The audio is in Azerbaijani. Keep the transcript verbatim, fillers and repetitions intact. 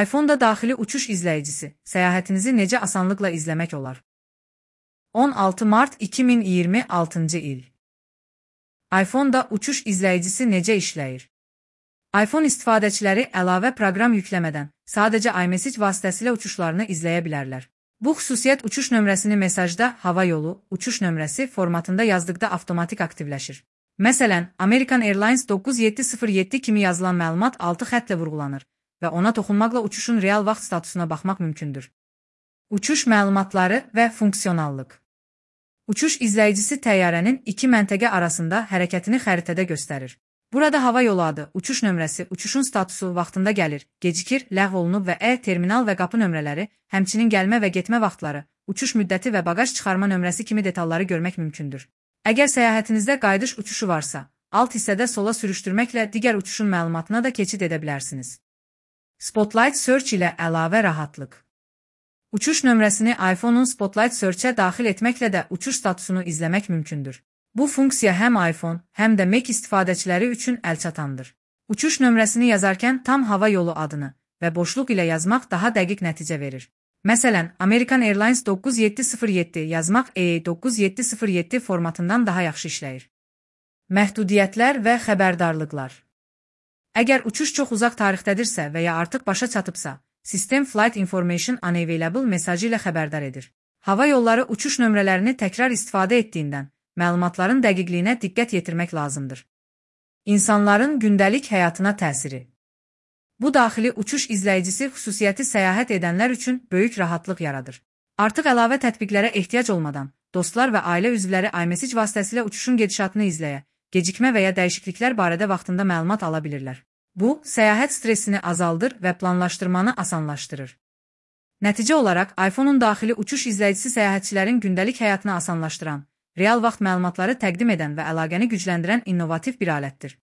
iPhone-da daxili uçuş izləyicisi, səyahətinizi necə asanlıqla izləmək olar? on altı mart iki min iyirmi altıncı il. iPhone-da uçuş izləyicisi necə işləyir? iPhone istifadəçiləri əlavə proqram yükləmədən sadəcə iMessage vasitəsilə uçuşlarını izləyə bilərlər. Bu xüsusiyyət uçuş nömrəsini mesajda hava yolu, uçuş nömrəsi formatında yazdıqda avtomatik aktivləşir. Məsələn, American Airlines doqquz yeddi sıfır yeddi kimi yazılan məlumat altı xəttlə vurğulanır və ona toxunmaqla uçuşun real vaxt statusuna baxmaq mümkündür. Uçuş məlumatları və funksionallıq. Uçuş izləyicisi təyyarənin iki məntəqə arasında hərəkətini xəritədə göstərir. Burada hava yolu adı, uçuş nömrəsi, uçuşun statusu vaxtında gəlir, gecikir, ləğv olunub və ə, terminal və qapı nömrələri, həmçinin gəlmə və getmə vaxtları, uçuş müddəti və baqaj çıxarma nömrəsi kimi detalları görmək mümkündür. Əgər səyahətinizdə qayıdış uçuşu varsa, alt hissədə sola sürüşdürməklə digər uçuşun məlumatına da keçid edə bilərsiniz. Spotlight Search ilə əlavə rahatlıq. Uçuş nömrəsini iPhone-un Spotlight Search-ə daxil etməklə də uçuş statusunu izləmək mümkündür. Bu funksiya həm iPhone, həm də Mac istifadəçiləri üçün əlçatandır. Uçuş nömrəsini yazarkən tam hava yolu adını və boşluq ilə yazmaq daha dəqiq nəticə verir. Məsələn, American Airlines doqquz yeddi sıfır yeddi yazmaq E doqquz yeddi sıfır yeddi formatından daha yaxşı işləyir. Məhdudiyyətlər və xəbərdarlıqlar. Əgər uçuş çox uzaq tarixdədirsə və ya artıq başa çatıbsa, sistem Flight Information Unavailable mesajı ilə xəbərdar edir. Hava yolları uçuş nömrələrini təkrar istifadə etdiyindən, məlumatların dəqiqliyinə diqqət yetirmək lazımdır. İnsanların gündəlik həyatına təsiri. Bu daxili uçuş izləyicisi xüsusiyyəti səyahət edənlər üçün böyük rahatlıq yaradır. Artıq əlavə tətbiqlərə ehtiyac olmadan, dostlar və ailə üzvləri iMessage vasitəsilə uçuşun gedişatını izləyə, gecikmə və ya dəyişikliklər barədə vaxtında məlumat ala bilirlər. Bu, səyahət stressini azaldır və planlaşdırmanı asanlaşdırır. Nəticə olaraq, iPhone-un daxili uçuş izləyicisi səyahətçilərin gündəlik həyatını asanlaşdıran, real vaxt məlumatları təqdim edən və əlaqəni gücləndirən innovativ bir alətdir.